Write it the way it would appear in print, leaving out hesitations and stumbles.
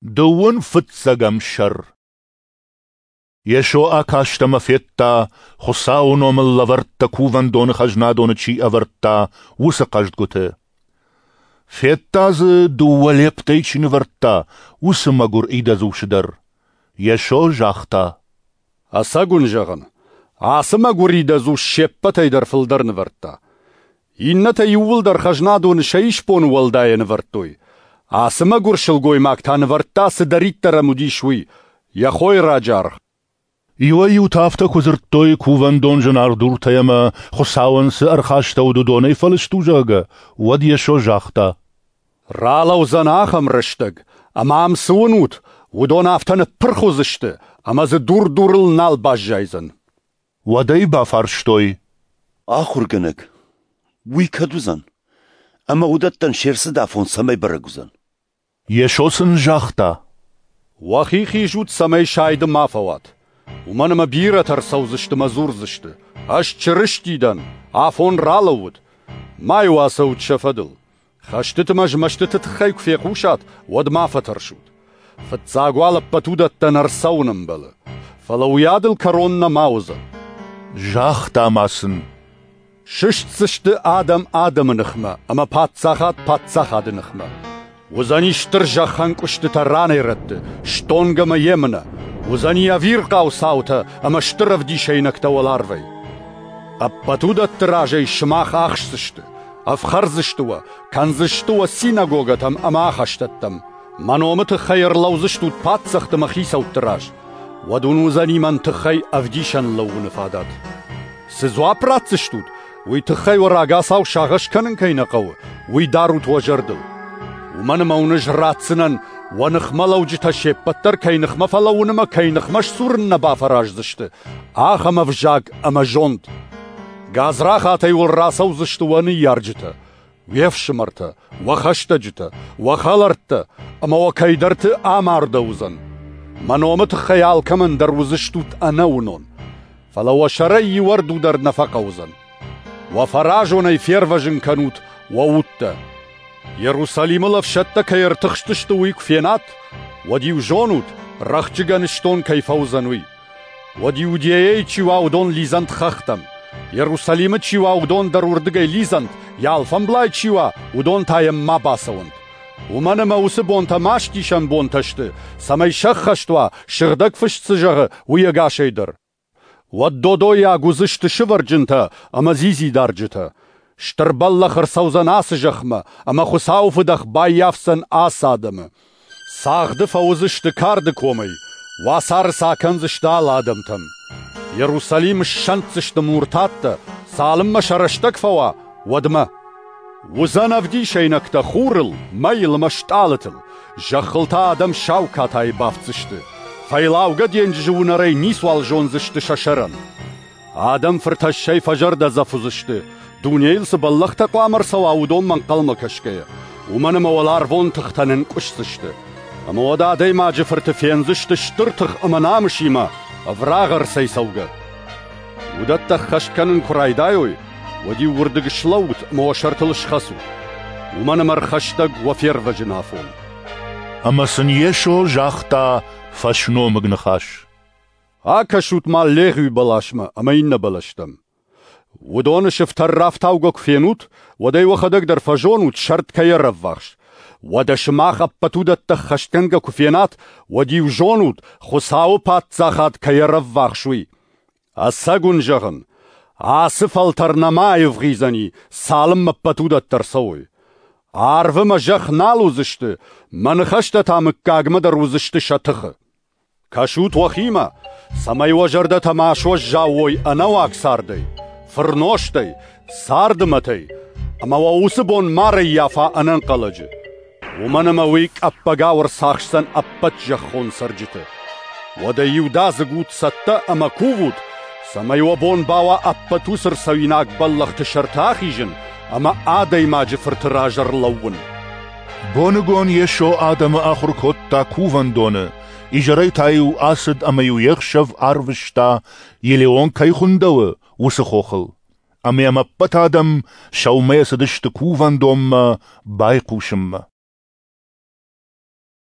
Дыууын фыццӕгӕм сӕр. Йесо акаст ӕмӕ федта, Хуыцауы номыл лӕвӕрттӕ кувӕндоны хӕзнадоны чи ӕвӕрдта, уыцы хъӕздгуыты. Федта дзы, дыууӕ лептӕй чи нывӕрдта, уыцы мӕгуыр идӕдз усы дӕр. Йесо загъта: Ӕцӕг уын зӕгъын, ацы мӕгуыр идӕдз ус се ппӕтӕй дӕр фылдӕр нывӕрдта. Иннӕтӕ иууылдӕр хӕзнадоны сӕ исбоны уӕлдайӕ нывӕрдтой. Ацы мӕгуыр сылгоймаг та нывӕрдта, цыдӕриддӕр ӕм уыдис, уый, йӕ хойраджы аргъ. Иуӕй-иутӕ афтӕ куы дзырдтой, кувӕндон зынаргъ дуртӕй ӕмӕ, Хуыцауӕн цы ӕрхастӕуыд, уыдонӕй фӕлыст у, зӕгъгӕ, уӕд Йесо загъта: Ралӕудзӕн ахӕм рӕстӕг, ӕмӕ ам цы уынут, уыдон афтӕ ныппырх уыдзысты, ӕмӕ дзы дур дурыл нал баззайдзӕн. Уӕд ӕй бафарстой: Ахуыргӕнӕг, уый кӕд уыдзӕн? Ӕмӕ уыдӕттӕн се рцыд афон цӕмӕй бӕрӕг уыдзӕн? Йесо сын загъта: Уӕхи хизут, цӕмӕй сайды ма фӕуат. Уымӕн ӕмӕ бирӕтӕ ӕрцӕудзысты мӕ дзурдзысты: Ӕз Чырысти дӕн, афон ралӕууыд. Ма-иу ацӕут сӕ фӕдыл. Хӕстыты мӕ змӕстыты тыххӕй куы фехъусат, уӕд ма фӕтӕрсут. Фыццаг уал ӕппӕт уыдӕттӕн ӕрцӕуын ӕмбӕлы. Фӕлӕ уыйадыл кӕрон нӕма уыдзӕн. Загъта ма сын: Сыстдзысты адӕм адӕмы ныхмӕ ӕмӕ паддзахад паддзахады ныхмӕ. Уыдзӕни стыр зӕххӕнкъуыстытӕ ранӕй-рӕтты, стонг ӕмӕ емынӕ. Уыдзӕни ӕвирхъау цаутӕ ӕмӕ стыр ӕвдисӕйнӕгтӕ уӕларвӕй. Ӕппӕт уыдӕтты разӕй сымах ахсдзысты, ӕфхӕрдзысты уӕ, кӕндзысты уӕ синагогӕтӕм ӕмӕ ахӕстӕттӕм. Мӕ номы тыххӕй ӕрлӕудзыстут паддзӕхты мӕ хицӕутты раз. Уӕд уын уыдзӕни мӕн тыххӕй ӕвдисӕн лӕууыны фадат. Цы дзуапп ратдзыстут, уый тыххӕй уӕ рагацау сагъӕс кӕнын кӕй нӕ хъӕуы, уый дарут уӕ зӕрдыл. Уымӕн ӕмӕ уын ӕз ратдзынӕн, уӕ ныхмӕлӕуджытӕ се ппӕт дӕр кӕй ныхмӕ фӕлӕууын ӕмӕ кӕй ныхмӕ сдзурын нӕ бафӕраздзысты, ахӕм ӕвзаг ӕмӕ зонд. Гадзрахатӕй уыл рацӕудзысты уӕ ныййарджытӕ, уе фсымӕртӕ, уӕ хӕстӕджытӕ, уӕ хӕлӕрттӕ ӕмӕ уӕ кӕйдӕрты амардӕуыдзӕн. Мӕ номы тыххӕй алкӕмӕн дӕр уыдзыстут ӕнӕуынон, фӕлӕ уӕ сӕрӕй иу ӕрду дӕр нӕ фӕхъӕудзӕн. Уӕ фӕразонӕй фервӕзын кӕнут уӕ удтӕ. Иерусалимыл ӕфсӕдтӕ кӕй ӕртыхстысты, уый куы фенат, уӕд-иу зонут, рӕхджы гӕныстон кӕй фӕуыдзӕн, уый. Уӕд Иудейӕйы чи уа, уыдон лидзӕнт хӕхтӕм. Иерусалимы чи уа, уыдон дӕр уырдыгӕй лидзӕнт, йӕ алфӕмблай чи уа, уыдон та йӕм ма бацӕуӕнт. Уымӕн ӕмӕ уыцы бонтӕ мастисӕн бонтӕ сты, цӕмӕй сӕххӕст уа, Сыгъдӕг Фыст цы зӕгъы, уый ӕгасӕй дӕр. Уӕд додойаг уыдзысты сывӕрджынтӕ ӕмӕ дзидзидарджытӕ. Стыр бӕллӕх ӕрцӕудзӕн ацы зӕхмӕ, ӕмӕ Хуыцауы фыдӕх баййафдзӕн ацы адӕмы. Цагъды фӕуыдзысты карды комӕй, уацары сӕ акӕндзысты алы адӕмтӕм. Иерусалим ссӕнддзысты муртаттӕ, цалынмӕ сӕ рӕстӕг фӕуа, уӕдмӕ. Уыдзӕн ӕвдисӕйнӕгтӕ хурыл, мӕйыл ӕмӕ стъалытыл, зӕххыл та адӕм сау катайы бафтдзысты. Фӕйлаугӕ денджызы уынӕрӕй ницуал зондзысты сӕ сӕрӕн. Адӕм фыртӕссӕй фӕзӕрдӕдзӕф уыдзысты, дунейыл цы бӕллӕхтӕ хъуамӕ ӕрцӕуа, уыдонмӕ ӕнхъӕлмӕ кӕсгӕйӕ, уымӕн ӕмӕ уӕларвон тыхтӕ нынкъуысдзысты. Ӕмӕ уӕд Адӕймаджы Фырты фендзысты стыр тых ӕмӕ намысимӕ, ӕврагъ ӕрцӕйцӕугӕ. Уыдӕттӕ ӕххӕст кӕнын куы райдайой, уӕд-иу уырдыг слӕуут ӕмӕ уӕ сӕртыл схӕцут, уымӕн ӕмӕ ӕрхӕстӕг уӕ фервӕзын афон. Ӕмӕ сын Йесо загъта фӕсномыг ныхас: Акӕсут-ма легъуи бӕласмӕ ӕмӕ иннӕ бӕлӕстӕм. Уыдоны сыфтӕр рафтаугӕ куы фенут, уӕд ӕй уӕхӕдӕг дӕр фӕзонут, сӕрд кӕй ӕрӕввахс. Уӕдӕ сымах ӕппӕт уыдӕттӕ ӕххӕстгӕнгӕ куы фенат, уӕд-иу зонут, Хуыцауы Паддзахад кӕй ӕрӕввахс, уый. Ӕцӕг уын зӕгъын, ацы фӕлтӕр нӕма аивгъуыйдзӕни, цалынмӕ ӕппӕт уыдӕттӕ ӕрцӕуой. Арв ӕмӕ зӕхх нал уыдзысты, мӕ ныхӕстӕ та мыггагмӕ дӕр уыдзысты сӕ тыхы. Кӕсут уӕхимӕ, цӕмӕй уӕ зӕрдӕтӕ ма суӕззау уой ӕнӕуаг цардӕй, фырнозтӕй, царды мӕтӕй, ӕмӕ уӕ уыцы бон ма рӕййафа ӕнӕнхъӕлӕджы. Уымӕн ӕмӕ уый къӕппӕгау ӕрцахсдзӕн ӕппӕт зӕххон цӕрджыты. Уӕдӕ иудадзыг ут цӕттӕ ӕмӕ кувут, цӕмӕй уӕ бон бауа ӕппӕт уыцы ӕрцӕуинаг бӕллӕхты сӕрты ахизын ӕмӕ Адӕймаджы Фырты раз ӕрлӕууын. Боныгон Йесо адӕмы ахуыр кодта кувӕндоны, изӕрӕй та-иу ацыд ӕмӕ-иу йе хсӕв арвыста, Елеон кӕй хуындӕуы, уыцы хохыл. Ӕмӕ йӕм ӕппӕт адӕм сӕумӕйӕ цыдысты кувӕндонмӕ байхъусынмӕ.